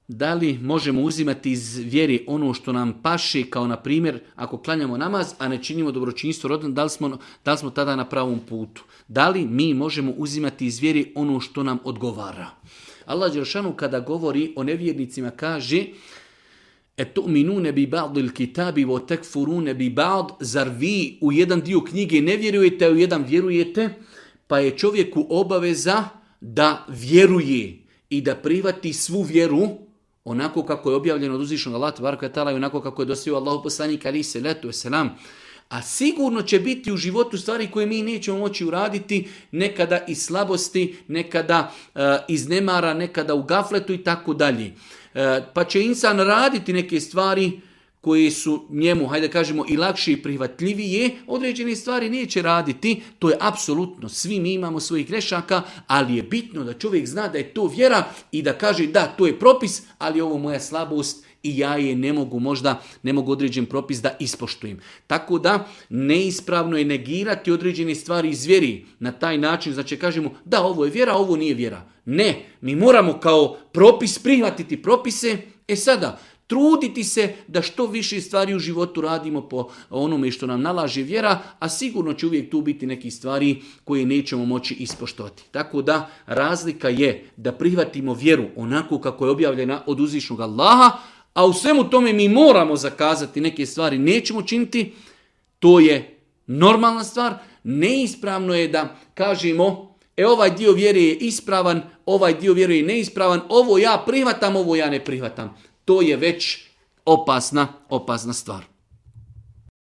Da li možemo uzimati iz vjeri ono što nam paše, kao na primjer ako klanjamo namaz, a ne činimo dobročinstvo rodom, da li smo tada na pravom putu? Da li mi možemo uzimati iz vjeri ono što nam odgovara? Allah dželešanu kada govori o nevjernicima kaže: "Etu'minune bi ba'dil kitabi wa takfurune bi ba'd", zar vi u jedan dio knjige ne vjerujete, a u jedan vjerujete? Pa je čovjeku obaveza da vjeruje i da prihvati svu vjeru onako kako je objavljeno od uzvišenog Allaha tebareke ve taala i onako kako je dostavio Allahov poslanik alejhi selatu vesselam. A sigurno će biti u životu stvari koje mi nećemo moći uraditi, nekada iz slabosti, nekada iz nemara, nekada u gafletu i tako dalje. Pa će insan raditi neke stvari koje su njemu, hajde kažemo, i lakše i prihvatljivije, određene stvari neće raditi. To je apsolutno, svi mi imamo svojih grešaka, ali je bitno da čovjek zna da je to vjera i da kaže da, to je propis, ali ovo moja slabost i ja je ne mogu određen propis da ispoštujem. Tako da neispravno je negirati određene stvari iz vjeri na taj način, znači kažemo da ovo je vjera, ovo nije vjera. Ne, mi moramo kao propis prihvatiti propise. Sada, truditi se da što više stvari u životu radimo po onome što nam nalaže vjera, a sigurno će uvijek tu biti neki stvari koje nećemo moći ispoštovati. Tako da razlika je da prihvatimo vjeru onako kako je objavljena od uzvišnog Allaha, a u svemu tome mi moramo zakazati neke stvari, nećemo činiti, to je normalna stvar. Neispravno je da kažemo ovaj dio vjere je ispravan, ovaj dio vjere je neispravan, ovo ja prihvatam, ovo ja ne prihvatam. To je već opasna stvar.